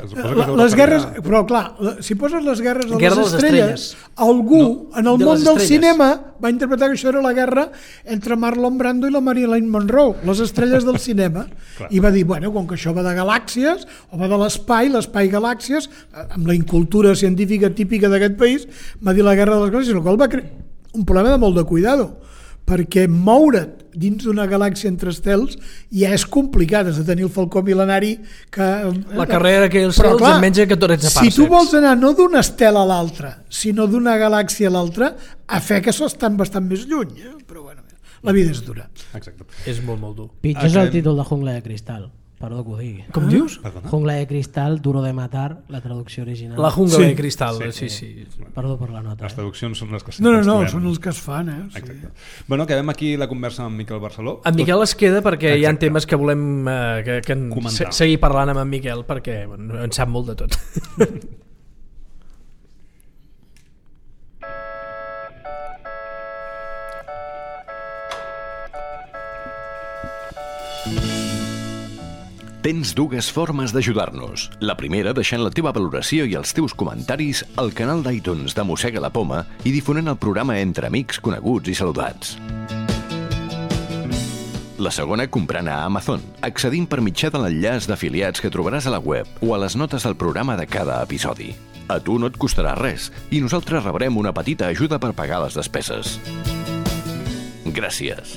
Les guerres... Però clar, si poses les guerres de les estrelles, algú en el món del cinema va interpretar que això era la guerra entre Marlon Brando i la Marilyn Monroe, les estrelles del cinema, i va dir, bueno, com que això va de galàxies, o va de l'espai galàxies, amb la incultura científica típica d'aquest país, va dir la guerra de les galàxies, el qual va crear un problema de molt de cuidado, perquè moure't dins d'una galàxia entre estels ja és complicat, has de tenir el falcó mil·lenari que... La carrera que els cels en menys de 14 parsecs. Si tu vols anar no d'una estel a l'altra, sinó d'una galàxia a l'altra, a fe que estan bastant més lluny, però bueno, la vida és dura. Exacte. És molt, molt dur. Pitjor és el títol de Jungla de Cristal. Perdó que ho digui. Com dius? Jungla de Cristal, Duro de Matar, la traducció original. La Jungla de Cristal, sí. Perdó per la nota. Les traduccions són les que... No, són els que es fan, Exacte. Bueno, acabem aquí la conversa amb Miquel Barceló. En Miquel es queda perquè hi ha temes que volem seguir parlant amb en Miquel, perquè en sap molt de tot. Tens dues formes d'ajudar-nos. La primera, deixant la teva valoració i els teus comentaris al canal d'iTunes de Mossega la Poma i difonent el programa entre amics, coneguts i saludats. La segona, comprant a Amazon, accedint per mitjà de l'enllaç d'afiliats que trobaràs a la web o a les notes del programa de cada episodi. A tu no et costarà res i nosaltres rebrem una petita ajuda per pagar les despeses. Gràcies.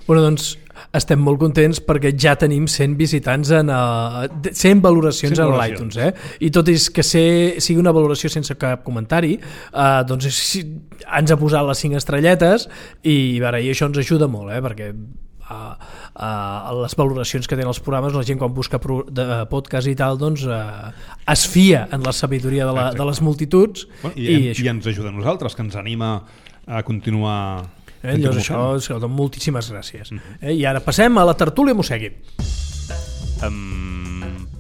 Bueno, doncs estem molt contents perquè ja tenim 100 visitants, 100 valoracions en l'iTunes, i tot és que sigui una valoració sense cap comentari, doncs ens ha posat les 5 estrelletes i això ens ajuda molt, perquè les valoracions que tenen els programes, la gent quan busca podcast i tal, doncs es fia en la sabidoria de les multituds, i ens ajuda a nosaltres, que ens anima a continuar. Llavors això, moltíssimes gràcies. I ara passem a la tertúlia Mossegui.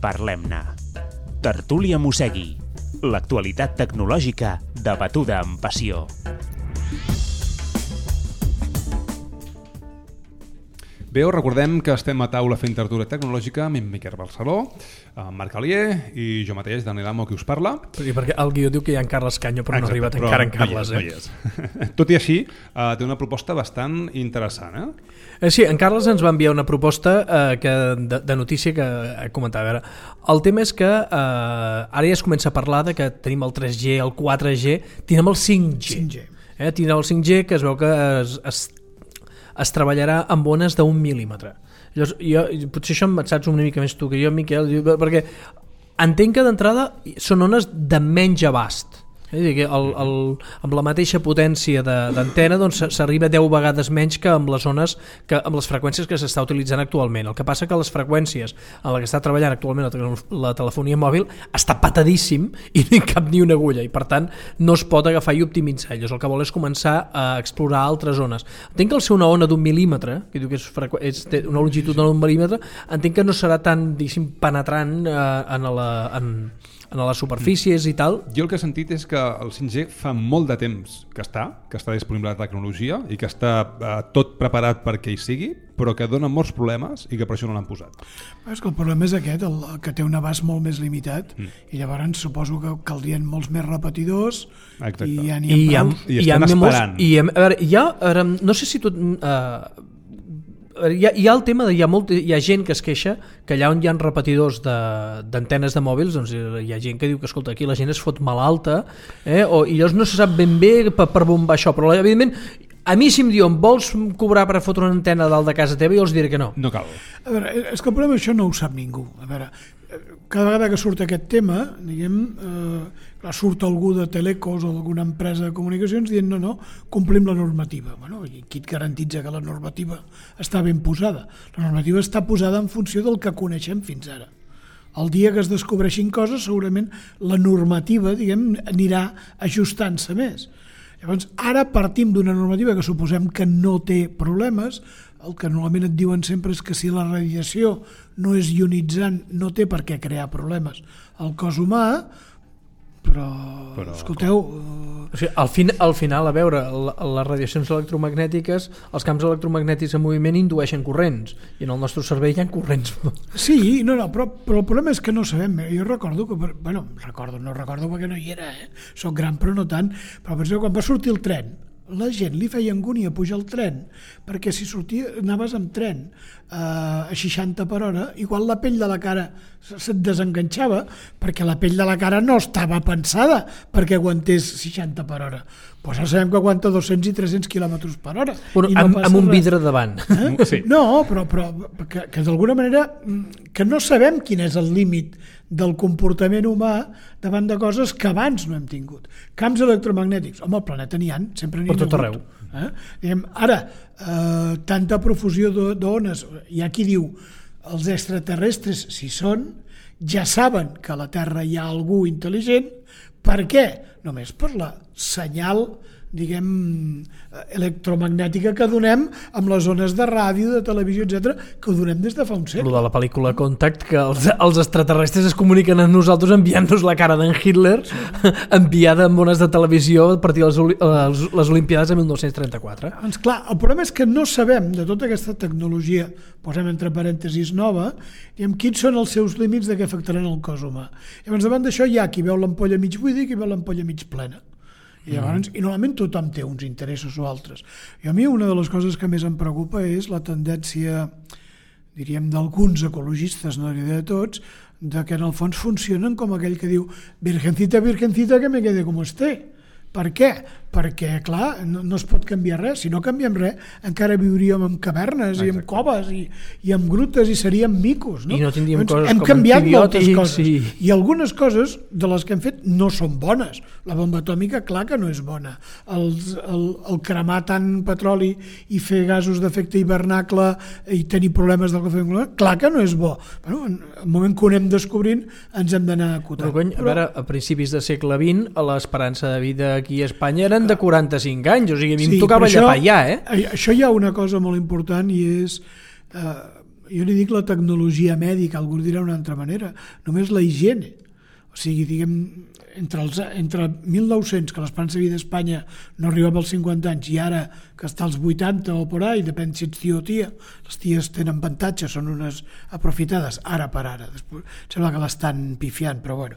Parlem-ne. Tertúlia Mossegui. L'actualitat tecnològica debatuda amb passió. Bé, us recordem que estem a taula fent tertúlia tecnològica amb en Miquel Barceló, en Marc Alier i jo mateix, Daniel Amo, qui us parla. I perquè el guió diu que hi ha en Carles Canyo, però no ha arribat encara en Carles. No hi és. Tot i així, té una proposta bastant interessant. Sí, en Carles ens va enviar una proposta de notícia que comentava. El tema és que ara ja es comença a parlar de que tenim el 3G, el 4G, tenim el 5G. Tenim el 5G, que es veu que es treballarà amb ones d'1 mil·límetre. Llavors, potser això em saps una mica més tu que jo, Miquel, perquè entenc que d'entrada són ones de menys abast. Amb la mateixa potència d'antena s'arriba 10 vegades menys que amb les zones amb les freqüències que s'està utilitzant actualment. El que passa que les freqüències en la que està treballant actualment la telefonia mòbil està patadíssim i no hi cap ni una agulla i per tant no es pot agafar i optimitzar. Llavors el que vol és començar a explorar altres zones. Entenc que al ser una ona d'1 mil·límetre, que diu que té una longitud d'1 mil·límetre, entenc que no serà tan penetrant en les superfícies i tal. Jo el que he sentit és que el 5G fa molt de temps que està disponible la tecnologia i que està tot preparat perquè hi sigui, però que dona molts problemes i que per això no l'han posat. És que el problema és aquest, que té un abast molt més limitat i llavors suposo que caldrien molts més repetidors. Exacte. I ja n'hi ha prou. I estem esperant. No sé si tu... Hi ha el tema hi ha gent que es queixa que allà on hi ha repetidors d'antenes de mòbils, doncs hi ha gent que diu que escolta, aquí la gent es fot malalta, i llavors no se sap ben bé per bombar això, però evidentment a mi si em diuen vols cobrar per fotre una antena dalt de casa teva, jo els diré que no. No cal. A veure, és que el problema això no ho sap ningú. A veure, cada vegada que surt aquest tema, diguem, surt algú de Telecos o d'alguna empresa de comunicacions dient no, complim la normativa. Bueno, i qui et garantitza que la normativa està ben posada? La normativa està posada en funció del que coneixem fins ara. El dia que es descobreixin coses, segurament la normativa, anirà ajustant-se més. Llavors, ara partim d'una normativa que suposem que no té problemes. El que normalment et diuen sempre és que si la radiació no és ionitzant no té per què crear problemes al cos humà, però escolteu... O sigui, al final, a veure, les radiacions electromagnètiques, els camps electromagnètics en moviment indueixen corrents, i en el nostre cervell hi ha corrents. Sí, però el problema és que no sabem. Jo recordo que... no recordo perquè no hi era, soc gran però no tant, però penso que quan va sortir el tren, la gent li feia angúnia pujar al tren, perquè si anaves amb tren a 60 per hora, igual la pell de la cara se't desenganxava, perquè la pell de la cara no estava pensada perquè aguantés 60 per hora. Pues ara sabem que aguanta 200 i 300 quilòmetres per hora. Bueno, amb un vidre davant. Sí. No, però que d'alguna manera que no sabem quin és el límit del comportament humà davant de coses que abans no hem tingut. Camps electromagnètics, home, al planeta n'hi ha, sempre n'hi ha. Per tot arreu. Ara, tanta profusió d'ones, hi ha qui diu els extraterrestres, si són, ja saben que a la Terra hi ha algú intel·ligent. Per què? Només per la senyal, electromagnètica que donem amb les ones de ràdio, de televisió, etc., que ho donem des de fa un segle. Lo de la pel·lícula Contact, que els extraterrestres es comuniquen amb nosaltres enviant-nos la cara d'en Hitler, enviada amb ones de televisió a partir de les Olimpiades de 1934. Doncs clar, el problema és que no sabem de tota aquesta tecnologia, posem entre parèntesis nova, quins són els seus límits de què afectaran el cos humà. Llavors, davant d'això hi ha qui veu l'ampolla mig buida i qui veu l'ampolla mig plena. I normalment tothom té uns interessos o altres. I a mi una de les coses que més em preocupa és la tendència, diríem, d'alguns ecologistes, no diré de tots, de que en el fons funcionen com aquell que diu virgencita, virgencita, que me quede com esté. Per què? Perquè, clar, no es pot canviar res. Si no canviem res, encara viuríem en cavernes i en coves i en grutes i seríem micos. No? I no tindríem coses hem com canviat moltes coses. I algunes coses de les que hem fet no són bones. La bomba atòmica, clar que no és bona. El cremar tant petroli i fer gasos d'efecte hivernacle i tenir problemes del cafè, clar que no és bo. Bueno, en el moment que ho anem descobrint ens hem d'anar acotant. A veure, a principis del segle XX l'esperança de vida aquí a Espanya eren de 45 anys, o sigui, a mi em tocava llapar ja, Això hi ha una cosa molt important i és, jo li dic la tecnologia mèdica, algú dirà d'una altra manera, només la higiene. O sigui, diguem, entre 1900, que l'esperança de vida d'Espanya no arribava als 50 anys, i ara que està als 80 o por ahí, depèn si ets tio o tia, les ties tenen avantatge, són unes aprofitades, ara per ara. Després, sembla que l'estan pifiant, però bueno.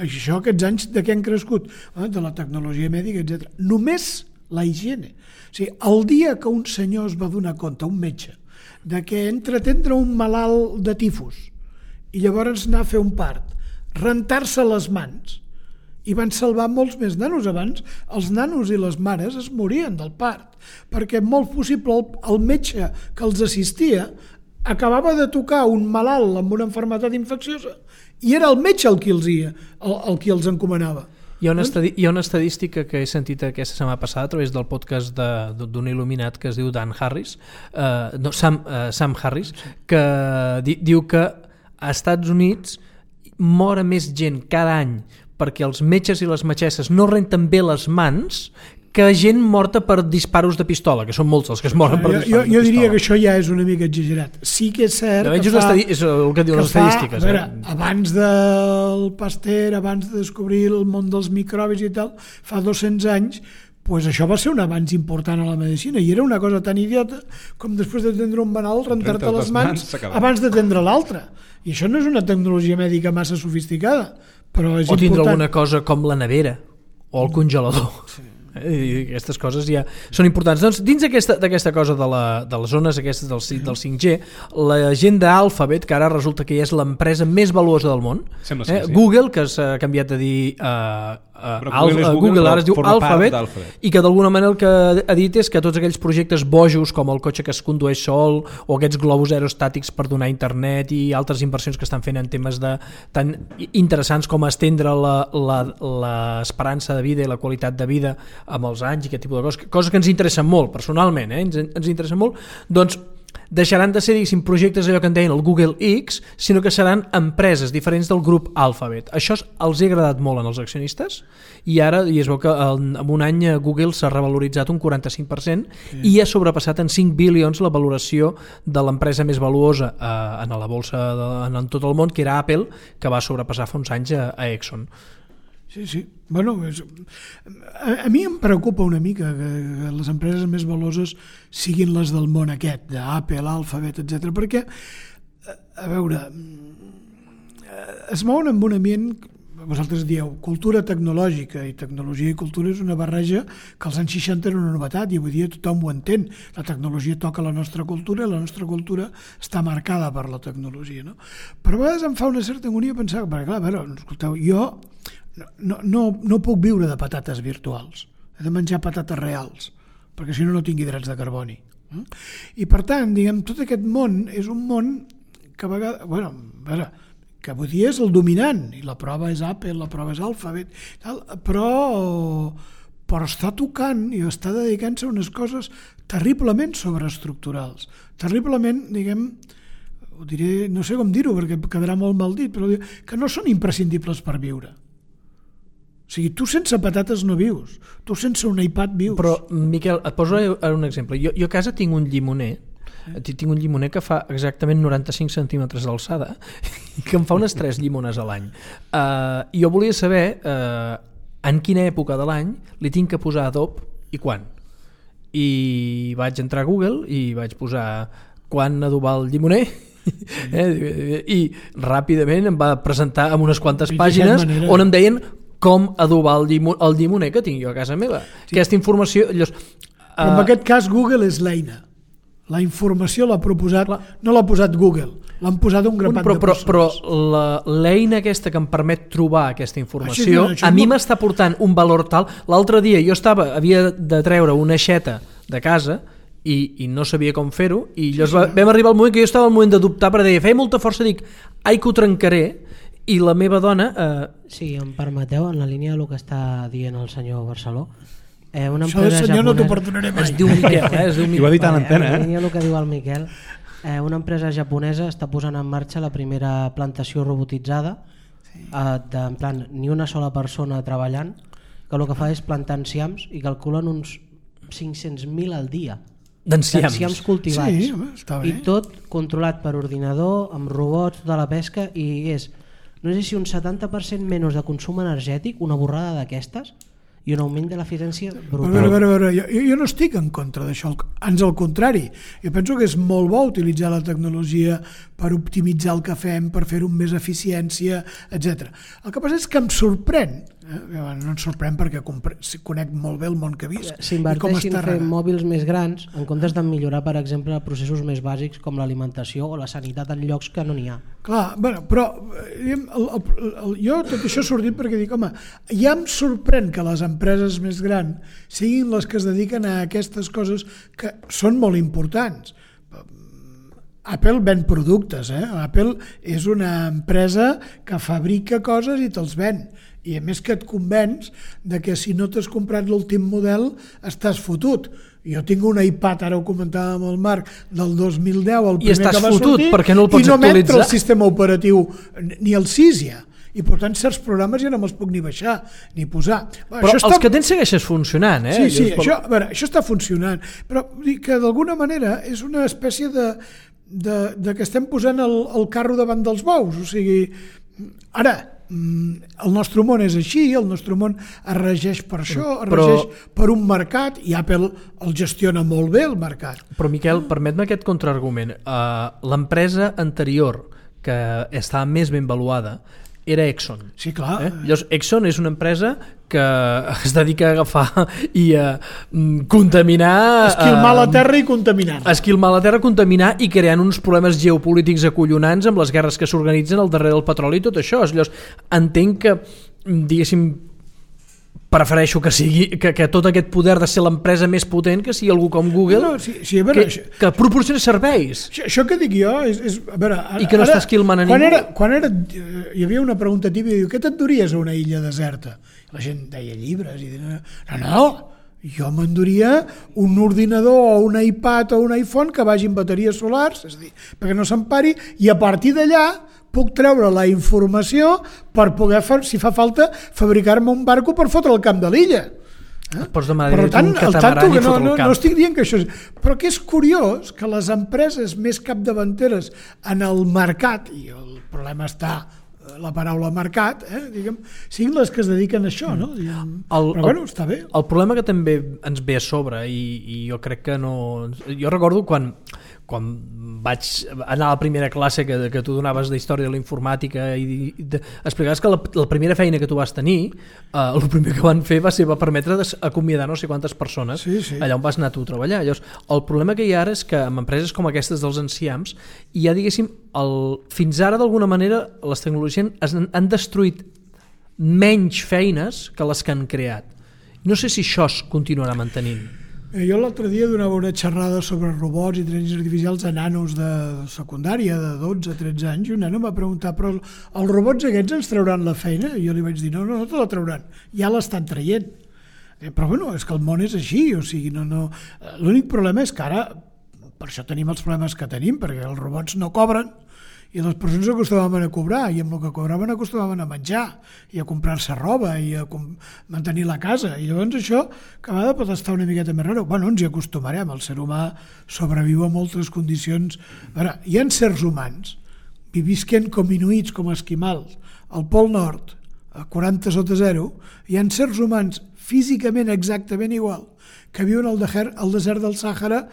Això, aquests anys de què han crescut? De la tecnologia mèdica, etc. Només la higiene. O sigui, el dia que un senyor es va donar compte, un metge, de que entre atendre un malalt de tifus i llavors anar a fer un part, rentar-se les mans, i van salvar molts més nanos. Abans els nanos i les mares es morien del part, perquè molt possible el metge que els assistia acabava de tocar un malalt amb una malaltia infecciosa i era el metge el qui els encomanava. Hi ha una estadística que he sentit aquesta setmana passada a través del podcast d'un il·luminat que es diu Dan Harris, Sam Harris, que diu que a Estats Units mor més gent cada any perquè els metges i les metgesses no renten bé les mans que gent morta per disparos de pistola, que són molts els que es moren per disparos de pistola. Jo diria que això ja és una mica exagerat. Sí que és cert és el que diuen les estadístiques. A veure, abans del Pasteur, abans de descobrir el món dels microbis i tal, fa 200 anys, pues això va ser un avanç important a la medicina i era una cosa tan idiota com després d'atendre un malalt rentar-te les mans abans d'atendre l'altre. I això no és una tecnologia mèdica massa sofisticada, però és important. O tindre alguna cosa com la nevera o el congelador. Sí. I aquestes coses ja són importants. Doncs dins d'aquesta cosa de les zones aquestes del 5G, la gent d'Alphabet, que ara resulta que ja és l'empresa més valuosa del món, sí. Google, que s'ha canviat a dir Google ara es diu Alphabet, i que d'alguna manera el que ha dit és que tots aquells projectes bojos com el cotxe que es condueix sol o aquests globus aerostàtics per donar internet i altres inversions que estan fent en temes tan interessants com estendre l'esperança de vida i la qualitat de vida amb els anys i aquest tipus de coses que ens interessen molt personalment, ens interessen molt, doncs deixaran de ser, diguéssim, projectes allò que en deien el Google X, sinó que seran empreses diferents del grup Alphabet. Això els ha agradat molt als accionistes i ara es veu que en un any Google s'ha revaloritzat un 45% i ha sobrepassat en 5 bilions la valoració de l'empresa més valuosa en la bolsa en tot el món, que era Apple, que va sobrepassar fa uns anys a Exxon. Sí. Bueno, a mi em preocupa una mica que les empreses més valuoses siguin les del món aquest, d'Apple, Alphabet, etc. Perquè, a veure, es mouen amb un ambient, vosaltres dieu, cultura tecnològica, i tecnologia i cultura és una barreja que als anys 60 era una novetat i avui dia tothom ho entén. La tecnologia toca la nostra cultura i la nostra cultura està marcada per la tecnologia, no? Però a vegades em fa una certa agonia pensar, perquè clar, a veure, escolteu, jo no puc viure de patates virtuals, he de menjar patates reals perquè si no tingui drets de carboni, i per tant, diguem, tot aquest món és un món que a vegades, bueno, a veure, que avui dia és el dominant i la prova és Apple, la prova és Alphabet, tal, però està tocant i està dedicant-se a unes coses terriblement sobreestructurals, terriblement, diguem, ho diré, no sé com dir-ho perquè quedarà molt mal dit, però que no són imprescindibles per viure. O sigui, tu sense patates no vius, tu sense un iPad vius. Però, Miquel, et poso un exemple. Jo a casa tinc un llimoner, que fa exactament 95 centímetres d'alçada i que em fa unes 3 llimones a l'any. Jo volia saber en quina època de l'any li tinc que posar adob i quan. I vaig entrar a Google i vaig posar quan adobar el llimoner i ràpidament em va presentar amb unes quantes pàgines on em deien com adobar el llimoner que tinc jo a casa meva. Sí. Aquesta informació... Però en aquest cas Google és l'eina. La informació l'ha proposat, no l'ha posat Google, l'han posat un grapat de persones. Però l'eina aquesta que em permet trobar aquesta informació, a mi m'està portant un valor tal. L'altre dia havia de treure una aixeta de casa i no sabia com fer-ho i vam arribar al moment que jo estava al moment de dubtar perquè deia, feia molta força, dic, ai que ho trencaré. I la meva dona... Si em permeteu, en la línia del que està dient el senyor Barceló, una això del senyor no t'ho perdonaré mai. Es diu Miquel, I ho ha dit a l'antena. En la línia del que diu el Miquel, una empresa japonesa està posant en marxa la primera plantació robotitzada, en plan, ni una sola persona treballant, que el que fa és plantar enciams i calculen uns 500.000 al dia. D'enciams cultivats. Sí, està bé. I tot controlat per ordinador, amb robots de la pesca, i és... No sé si un 70% menys de consum energètic, una borrada d'aquestes, i un augment de l'eficiència brutal. A veure, jo no estic en contra d'això, ans al contrari. Jo penso que és molt bo utilitzar la tecnologia per optimitzar el que fem, per fer-ho amb més eficiència, etc. El que passa és que em sorprèn, no em sorprèn perquè conec molt bé el món que visc. S'inverteixin a fer mòbils més grans en comptes de millorar, per exemple, processos més bàsics com l'alimentació o la sanitat en llocs que no n'hi ha. Clar, però jo tot això ha sortit perquè dic, home, ja em sorprèn que les empreses més grans siguin les que es dediquen a aquestes coses que són molt importants. Apple ven productes, Apple és una empresa que fabrica coses i te'ls ven, i a més que et convenç de que si no t'has comprat l'últim model estàs fotut. Jo tinc un iPad, ara ho comentàvem amb el Marc, del 2010, el primer que va sortir, perquè no el pots i no actualitzar. m'entra el sistema operatiu ni el 6 ja. I per tant certs programes ja no me'ls puc ni baixar ni posar. Però els que tens segueixes funcionant, Sí, això està funcionant, però que d'alguna manera és una espècie de que estem posant el carro davant dels bous. O sigui, ara el nostre món és així, el nostre món es regeix per això, es regeix per un mercat, i Apple el gestiona molt bé, el mercat. Però Miquel, permet-me aquest contraargument. L'empresa anterior que estava més ben valuada era Exxon. Sí, clar. Llavors, Exxon és una empresa que es dedica a agafar i a contaminar... Esquilmar la terra i contaminar. Esquilmar la terra, contaminar i creant uns problemes geopolítics acollonants amb les guerres que s'organitzen al darrere del petroli i tot això. Llavors, entenc que, diguéssim, prefereixo que sigui que tot aquest poder de ser l'empresa més potent que sigui algú com Google sí, a veure, que proporciona serveis. Això que dic jo és a veure, i que no està esquilmant a ningú. Quan hi havia una pregunta típica, diu, què t'enduries a una illa deserta? La gent deia llibres i deia, no, jo m'enduria un ordinador o un iPad o un iPhone que vagi amb bateries solars, és a dir, perquè no s'empari, i a partir d'allà puc treure la informació per poder, si fa falta, fabricar-me un barco per fotre al camp de l'illa. Per tant, no estic dient que això és... Però que és curiós que les empreses més capdavanteres en el mercat, i el problema està la paraula mercat, diguem, siguin les que es dediquen a això, no? Però bueno, està bé. El problema que també ens ve a sobre, i jo crec que no... Jo recordo quan vaig anar a la primera classe que tu donaves d'història de la informàtica i explicaves que la primera feina que tu vas tenir, el primer que van fer va permetre acomiadar no sé quantes persones allà on vas anar tu a treballar. Llavors, el problema que hi ha ara és que amb empreses com aquestes dels enciams hi ha, diguéssim, fins ara d'alguna manera les tecnologies han destruït menys feines que les que han creat. No sé si això es continuarà mantenint. Jo l'altre dia donava una xerrada sobre robots i intel·ligències artificials a nanos de secundària de 12-13 anys, i un nano em va preguntar, però els robots aquests ens trauran la feina? I jo li vaig dir, no te la trauran, ja l'estan traient. Però bueno, és que el món és així, o sigui, no. L'únic problema és que ara, per això tenim els problemes que tenim, perquè els robots no cobren, i les persones acostumaven a cobrar, i amb el que cobraven acostumaven a menjar i a comprar-se roba i a mantenir la casa, i llavors això que a vegades pot estar una miqueta més raro. Bueno, ens hi acostumarem, el ser humà sobreviu a moltes condicions. A veure, hi ha certs humans visquent com inuits, com esquimals al Pol Nord a 40 sota zero, hi ha certs humans físicament exactament igual que viuen al desert del Sàhara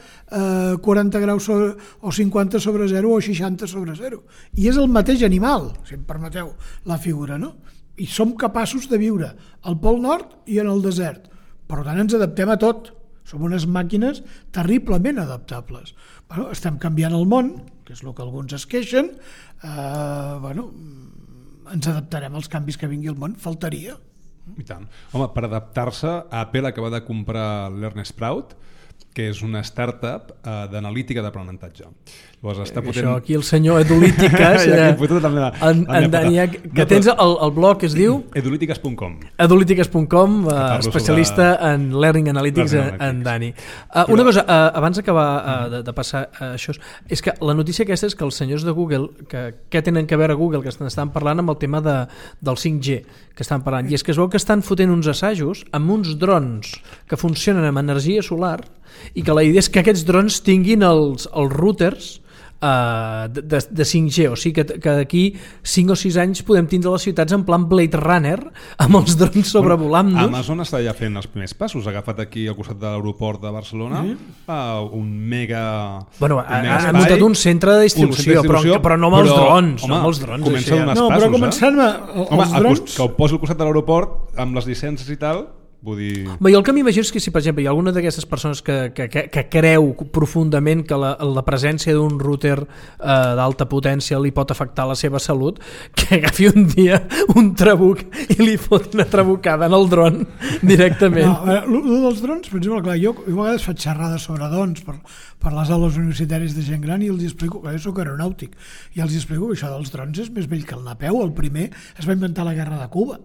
40 graus o 50 sobre 0 o 60 sobre 0. I és el mateix animal, si em permeteu la figura, no? I som capaços de viure al Pol Nord i en el desert. Per tant, ens adaptem a tot. Som unes màquines terriblement adaptables. Bueno, estem canviant el món, que és el que alguns es queixen. Ens adaptarem als canvis que vingui al món, faltaria. I tant. Home, per adaptar-se, Apple acaba de comprar l'EarnSprout, que és una startup d'analítica d'aprenentatge. Això aquí el senyor Edulítiques en Dani, que tens el blog que es diu edulítiques.com, especialista en Learning Analytics en Dani. Una cosa, abans d'acabar de passar això, és que la notícia aquesta és que els senyors de Google, què tenen que veure Google, que estan parlant amb el tema del 5G, que estan parlant, i és que es veu que estan fotent uns assajos amb uns drons que funcionen amb energia solar, i que la idea és que aquests drons tinguin els routers de 5G, o sigui que d'aquí 5 o 6 anys podem tindre les ciutats en plan Blade Runner amb els drons sobrevolant-nos. Amazon està ja fent els primers passos, ha agafat aquí al costat de l'aeroport de Barcelona un mega... Ha muntat un centre de distribució, però no amb els drons. Comença a donar passos. Però començant els drons... Que ho posi al costat de l'aeroport amb les llicències i tal... Jo el que m'imagino és que si, per exemple, hi ha alguna d'aquestes persones que creu profundament que la presència d'un router d'alta potència li pot afectar la seva salut, que agafi un dia un trabuc i li fot una trabucada en el dron directament. Lo dels drons, per exemple, clar, jo a vegades faig xerrades sobre drons per les aules universitàries de gent gran i els explico, que jo soc aeronàutic, i els explico que això dels drons és més vell que el Napeu. El primer es va inventar a la guerra de Cuba.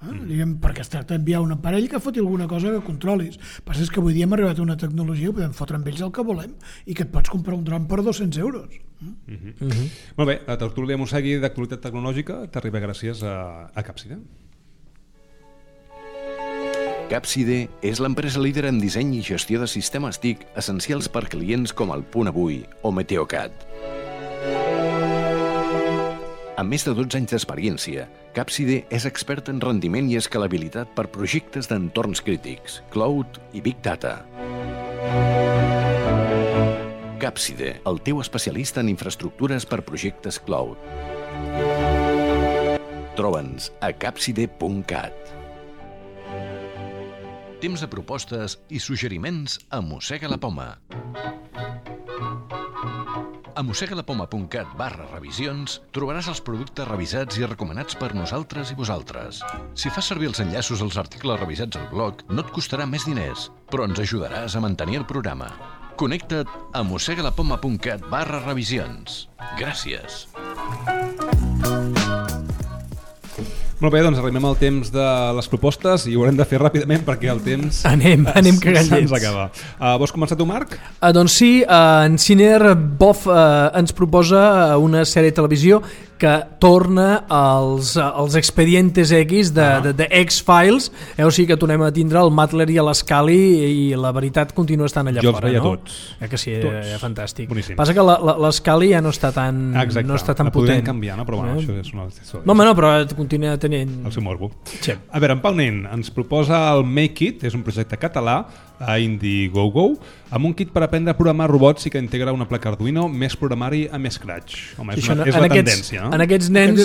Perquè es tracta d'enviar un aparell que foti alguna cosa que controlis. Però és que avui dia hem arribat a una tecnologia que podem fotre amb ells el que volem i que et pots comprar un dron per 200 euros. Molt bé, a tertúlia Mosegui d'actualitat tecnològica t'arriba gràcies a Capside. Capside és l'empresa líder en disseny i gestió de sistemes TIC essencials per clients com el Punt Avui o Meteocat. Amb més de 12 anys d'experiència, Capside és expert en rendiment i escalabilitat per projectes d'entorns crítics, cloud i big data. Capside, el teu especialista en infraestructures per projectes cloud. Troba'ns a capside.cat. Temps de propostes i suggeriments a Mossega la Poma. A mossegalapoma.cat/revisions trobaràs els productes revisats i recomanats per nosaltres i vosaltres. Si fas servir els enllaços als articles revisats al blog, no et costarà més diners, però ens ajudaràs a mantenir el programa. Connecta't a mossegalapoma.cat/revisions. Gràcies. Molt bé, doncs arribem al temps de les propostes i ho haurem de fer ràpidament perquè el temps Anem cagant se'ns llets. acaba. Vols començar tu, Marc? Doncs sí, en Ciner Boff ens proposa una sèrie de televisió que torna als Expedientes X de X-Files, o sigui que tornem a tindre el Matler i l'Scully i la veritat continua estant allà jo fora, veia no? tots. Que sí, tots. Fantàstic. Boníssim. Passa que l'Scully ja no està tan, Exacte. no està tan la podrien potent. canviar, no? Però bueno, això és una... No, home, no, però continua tenint... El seu morbo. Sí. A veure, en Pau Nen ens proposa el Make It, és un projecte català a Indiegogo, amb un kit per aprendre a programar robots i que integra una placa Arduino, més programari amb Scratch. Home, és la tendència, no? En aquests nens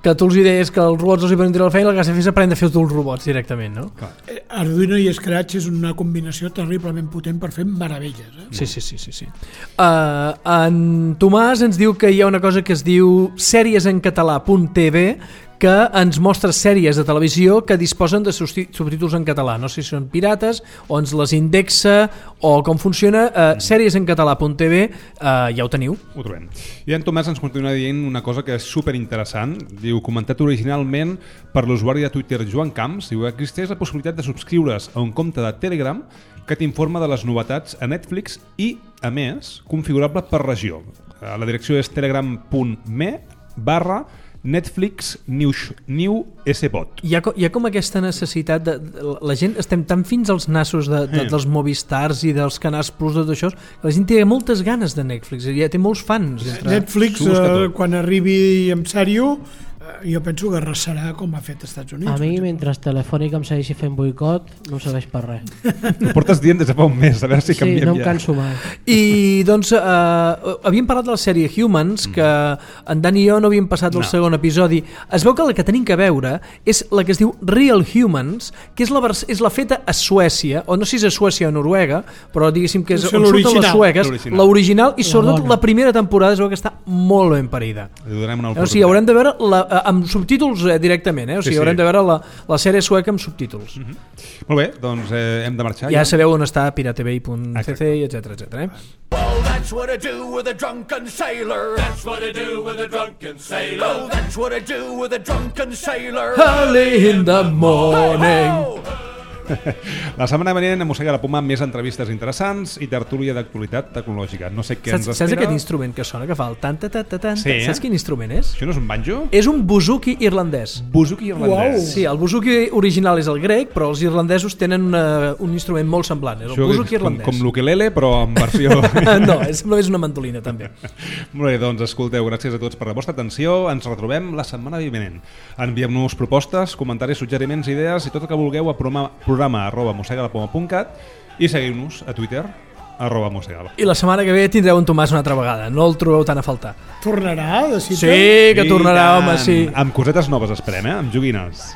que tu els deies que els robots els hi poden tirar la feina, el que has de fer és aprendre a fer tu els robots directament, no? Arduino i Scratch és una combinació terriblement potent per fer meravelles. Sí. En Tomàs ens diu que hi ha una cosa que es diu seriesencatalà.tv, que ens mostra sèries de televisió que disposen de subtítols en català. No sé si són pirates o ens les indexa o com funciona. Seriesencatalà.tv, ja ho teniu. Ho trobem. I en Tomàs ens continua dient una cosa que és superinteressant. Diu, comentat originalment per l'usuari de Twitter Joan Camps, diu que existeix la possibilitat de subscriure's a un compte de Telegram que t'informa de les novetats a Netflix i, a més, configurable per regió. La direcció és telegram.me/Netflix New SBot. Hi ha com aquesta necessitat la gent estem tan fins als nassos dels Movistars i dels canals Plus, tot això, que la gent té moltes ganes de Netflix, ja té molts fans. Netflix, quan arribi en sèrio, jo penso que arrasarà com ha fet als Estats Units. A mi, mentre Telefònica em segueixi fent boicot, no em serveix per res. Ho portes dient des de fa un mes, a veure si canviem sí, no em ja. canso mai. I doncs havíem parlat de la sèrie Humans, que en Dan i jo no havíem passat el segon episodi. Es veu que la que tenim que veure és la que es diu Real Humans, que és la feta a Suècia, o no sé si és a Suècia o Noruega, però diguéssim que és on surten les sueques, l'original, i sobretot la primera temporada es veu que està molt ben parida. Li donem una O sigui, haurem de veure amb subtítols directament, o sigui, haurem de veure la sèrie sueca amb subtítols. Molt bé, doncs hem de marxar. Ja sabeu on està piratebay.cc, etc. Well, that's what I do with a drunken sailor. That's what I do with a drunken sailor. Oh, that's what I do with a drunken sailor. Early in the morning. La setmana venint a Mossega la Poma més entrevistes interessants i tertúlia d'actualitat tecnològica. No sé què ens espera. Saps aquest instrument que sona, que fa el tan-ta-ta-ta-tan? Sí, Saps quin instrument és? Això no és un banjo? És un buzuki irlandès. Buzuki irlandès. Sí, el buzuki original és el grec, però els irlandesos tenen un instrument molt semblant. És el buzuki irlandès. Com l'ukelele, però en versió... No, és una mandolina, també. Molt bé, doncs escolteu, gràcies a tots per la vostra atenció. Ens retrobem la setmana vinent. Enviem-nos propostes, comentaris, suggeriments, idees i tot el que vulgueu a programa@mossegalapoma.cat i seguiu-nos a Twitter @mossegalapoma. I la setmana que ve tindreu en Tomàs una altra vegada. No el trobeu tan a faltar. Tornarà de cita? Sí, que tornarà, home, sí. Amb cosetes noves esperem, amb joguines.